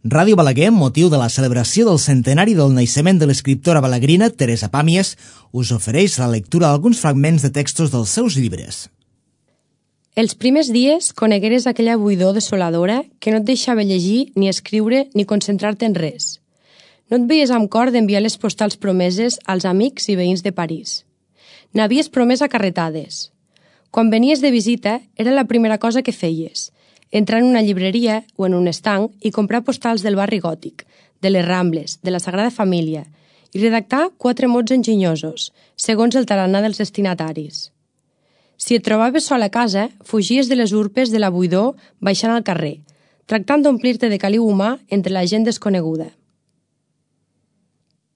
Ràdio Balaguer, amb motiu de la celebració del centenari del naixement de l'escriptora balaguerina Teresa Pàmies, us ofereix la lectura d'alguns fragments de textos dels seus llibres. Els primers dies conegueres aquella buidor desoladora que no et deixava llegir, ni escriure, ni concentrar-te en res. No et veies amb cor d'enviar les postals promeses als amics i veïns de París. N'havies promès a carretades. Quan venies de visita, era la primera cosa que feies, entrar en una llibreria o en un estanc i comprar postals del barri gòtic, de les Rambles, de la Sagrada Família, i redactar 4 mots enginyosos, segons el tarannà dels destinataris. Si et trobaves sol a casa, fugies de les urpes de la buidor baixant al carrer, tractant d'omplir-te de caliu humà entre la gent desconeguda.